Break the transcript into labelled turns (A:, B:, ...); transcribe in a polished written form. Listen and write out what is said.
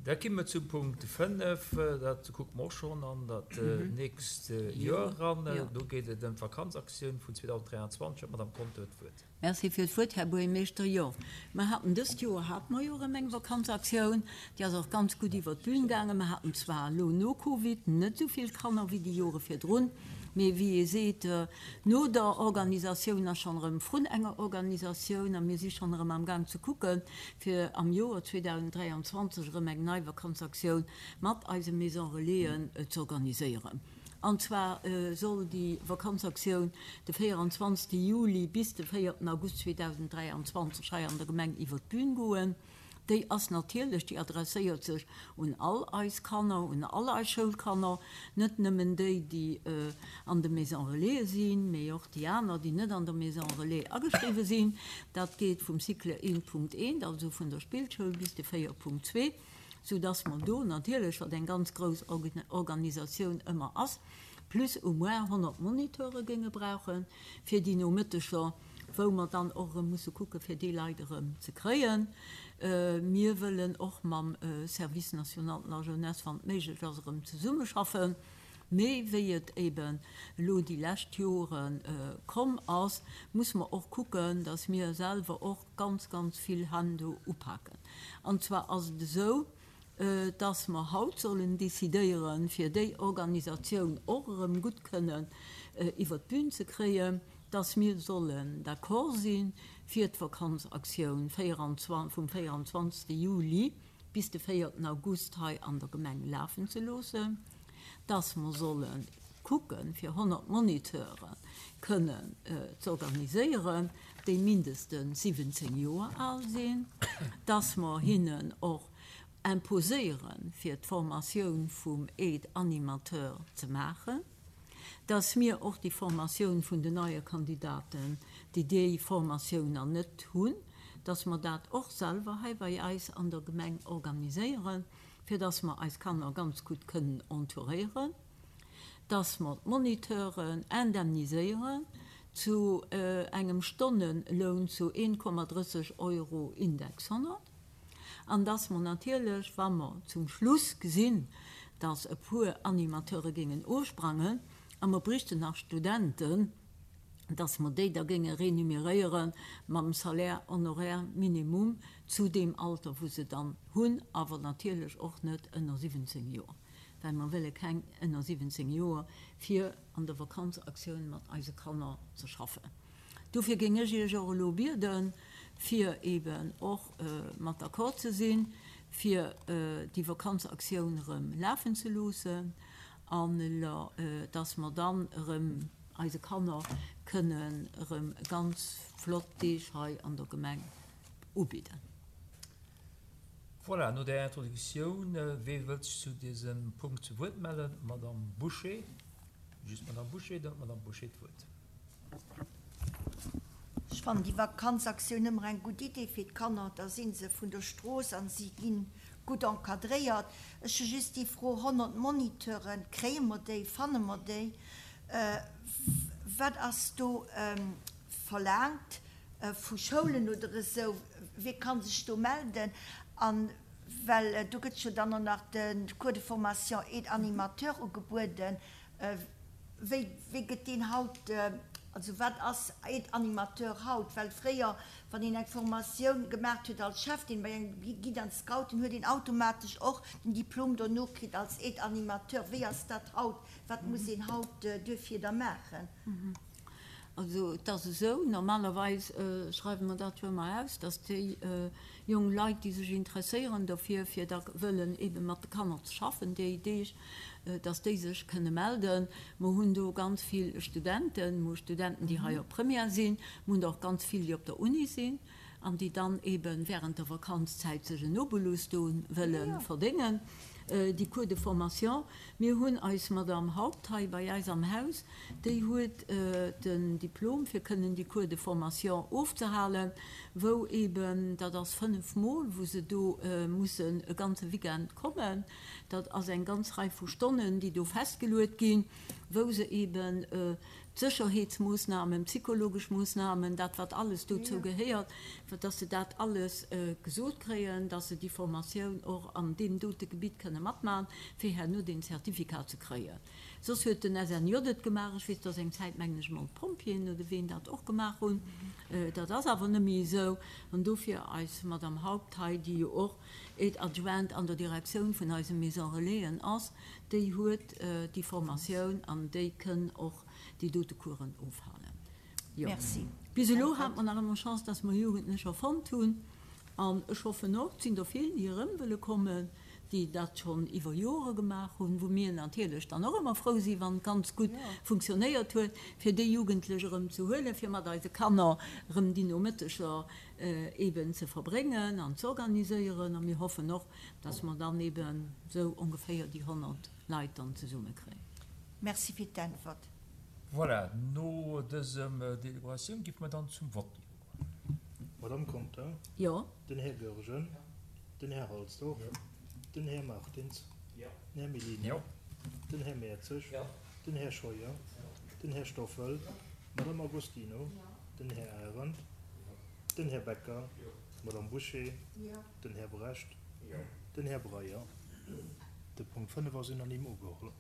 A: Da gi mer zum Punkt 5, dat kucke mer och schonn an dat nächst Joer eran. Do geet et ëm d'Vakanzaktioun vun 2023. D'Madame Conter huet d'Wuert.
B: Merci fir d'Wuert, Här Buergermeeschter. Jo, mer haten dëst Joer hate mer jo erëm eng Vakanzaktioun. Déi ass och ganz gutt iwwert d'Bün gaangen. Mer haten zwar elo no Covid net esou vill Kanner wéi déi Jore virdrun, mee wéi ee seet, no der Organisatioun ass schonn erëm vrun enger Organisatioun a mir si schonn erëm amgaang ze kucken, fir am Joer 2023 erëm eng nei Vakanzaktioun mat eise Maison Relaisen z'organiséieren. An zwar soll déi Vakanzaktioun de 24 Juli bis de 4 August 2023 hei an der Gemeng iwwer d'Bün goen. Déi ass natierlech, déi adresséiert sech un all eis Kanner, un all eis Schoulkanner, net nëmmen déi, déi an de Maisons Relaisen sinn, mee och déi aner, déi net an der Maison Relais ageschriwwe sinn. Dat geet vum Cycle 1.1, also vun der Spillschoul, bis de 4.2. sou dass mer do natierlech, wat eng ganz grouss Organisatioun ëmmer ass, plus ou moins 100 Moniteure géinge brauche fir déi Nomëtteger, wou mer dann och erëm musse kucke fir déi Leit erëm ze kréien. Mir wëllen och mam Service national de la jeunesse, wann et méiglech ass, erëm zesummeschaffen. Mee wéi et eben elo déi lescht Jore komm ass, musse mer och kucken, dass mir selwer och ganz, ganz vill Hänn do upaken. An zwar ass et esou, dass mer haut sollen decidéieren, fir déi Organisatioun och erëm gutt kënnen iwwert d'Bün ze kréien, dass mir sollen d'accord si fir d'Vakanzaktioun vum 24. Juli bis de 4. August hei an der Gemeng lafen ze loossen, dass mer solle kucken, fir 100 Moniteure kënnen z'organiséieren, déi mindestens 17 Joer al sinn, dass mer hinnen och imposéieren, fir d'Formatioun vum Aide-animateur ze maachen, dass mir och déi Formatioun vun den neie Kandidaten, déi déi Formatioun nach net hunn, dass mer dat och selwer hei bei eis an der Gemeng organiséieren, fir dass mer eis Kanner ganz gutt kënnen entouréieren, dass mer d'Moniteuren indemniséieren zu engem Stonneloun zu 1,30 Euro Index 100 an dass mer natierlech, wa mer zum Schluss gesinn, dass e puer Animateure géingen ofsprangen a mer bräichten nach Studenten, dass mer déi da géinge renuméréiere mam Salaire honoraire minimum zu deem Alter, wou se dann hunn, awer natierlech och net ënner 17 Joer, well mer wëlle keng ënner 17 Joer fir an der Vakanzaktioun mat eise Kanner ze schaffen. Dofir géing ech Iech och elo bieden, fir eeben och mat d'accord ze sinn, fir déi Vakanzaktioun erëm lafen ze loossen an dass mer dann erëm eise Kanner kënnen erëm ganz flott Deeg hei an der Gemeng ubidden.
A: Voilà, no där Introductioun, wee wëllt sech zu dësem Punkt zu Wuert mellen? D'Madame Bouché, just d'Madame Bouché, dann huet d'Madame Bouché d'Wuert.
C: Ech fannen déi Vakanzaktioun ëmmer eng gutt Idee fir d'Kanner. Da si se vun der Strooss a si gi gutt encadréiert. Ech hu just déi Fro, 100 Moniteuren, kréie mer déi, fanne mer déi? Wat ass do verlaangt vu Schoulen oder esou? Wie ka sech do melden? A well do gëtt jo dann och nach de Cours de formation aide-animateur ugebueden. Wéi, wéi gëtt deen haut, also wat ass Aide-animateur haut? Well fréier, wann een eng Formatioun gemaacht huet als Chefdien bei engem Guide an Scouten, huet een automatesch och den Diplom dono kritt als Aide-animateur. Wéi ass dat haut? Wat muss een haut duerfir da maachen?
B: Also et ass esou, normalerweis schreiwe mer dat jo ëmmer aus, dass déi jonk Leit, déi sech interesséieren dofir, fir da wëllen eebe mat de Kanner ze schaffen déi Deeg, dass déi sech kënne melden. Mer hunn do ganz vill Studenten, mer hu Studenten, déi hei op Première sinn, mer hunn der och ganz vill, déi op der Uni sinn an déi dann eebe während der Vakanzzäit sech en Obolus do wëlle verdéngen. Déi Cours de formation, mir hunn eis Madame Haupt hei bei eis am Haus, déi huet den Diplom fir kënnen déi Cours de formation ofzehalen, wou eben, dat ass 5 Mol, wou se do mussen e ganze Weekend kommen. Dat ass eng ganz Rei vu Stonnen, déi do festgeluet ginn, wou se eben d'Sécherheetsmoossnamen, d'psychologesch Moossnamen, dat wat alles dozou gehéiert, dass se dat alles gesot kréien, dass se déi Formatioun och an deem dote Gebitt kënne matmachen, fir herno deen Zertifikat ze kréien. Soss huet den SNJ et gemaach. Ech weess, dass eng Zäit, mengen ech emol, d'Pompjeeën oder ween dat och gemaach hunn. Dat ass awer net méi esou. An dofir eis Madame Haupt hei, déi jo och Aide-adjointe an der Direktioun vun eise Maison Relaisen ass, déi huet déi Formatioun an déi kënn och déi dote Coursen ofhalen. Jo.
C: Merci.
B: Bis elo hate mer nach ëmmer Chance, dass mer Jugendlecher fonnt hunn. An ech hoffen och, et sinn der vill, déi erëm wëlle kommen, déi dat schonn iwwer Jore gemaach hunn, wou mir natierlech dann och ëmmer frou sinn, wann et ganz gutt funktionéiert huet, fir déi Jugendlech erëm ze huelen, fir mat eise Kanner erëm déi Nomëtteger eeben ze verbréngen an z'organiséieren. A mir hoffen och, dass mer dann eeben esou ongeféier déi 100 Leit dann zesummekréien.
C: Merci fir d'Äntwert.
A: Voilà, no dësem Deliberatioun géife mer dann zum Vott iwwergoen.
D: D'Madame Conter?
B: Jo.
D: Den Här Goergen? Den Här Halsdorf? Den Här Martins? Den Här Mellini? Den Här Mertzig? Den Här Scheuer? Den Här Stoffel? D'Madame Agostino? Den Här Arendt? Den Här Becker? D'Madame Bouché? Den Här Brecht? Den Här Breyer? De Punkt 5 ass unanime ugeholl.